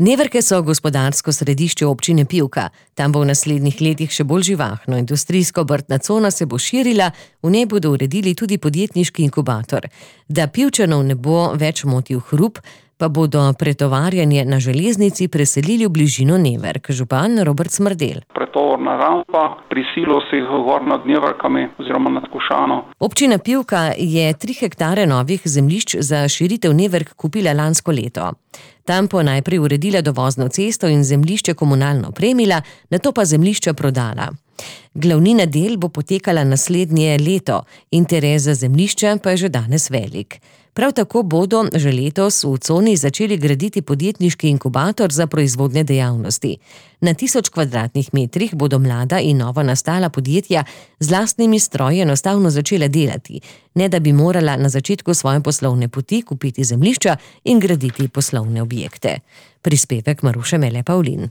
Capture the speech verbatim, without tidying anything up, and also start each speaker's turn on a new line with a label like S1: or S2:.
S1: Neverke so gospodarsko središče občine Pivka. Tam bo v naslednjih letih še bolj živahno. Industrijsko-obrtna cona se bo širila, v njej bodo uredili tudi podjetniški inkubator. Da Pivčanov ne bo več motil hrup, pa bodo pretovarjanje na železnici preselili v bližino Neverk. Župan Robert Smrdelj.
S2: Pretovorna rampa pri silosih gor nad Neverkami oziroma nad Košano.
S1: Občina Pivka je tri hektare novih zemljišč za širitev Neverk kupila lansko leto. Tam po najprej uredila dovozno cesto in zemljišče komunalno opremila, nato pa zemljišča prodala. Glavnina del bo potekala naslednje leto, interes za zemljišča pa je že danes velik. Prav tako bodo že letos v coni začeli graditi podjetniški inkubator za proizvodne dejavnosti. Na tisoč kvadratnih metrih bodo mlada in novo nastala podjetja z lastnimi stroji enostavno začela delati, ne da bi morala na začetku svoje poslovne poti kupiti zemljišča in graditi poslovne objekte. Prispevek Maruše Mele Pavlin.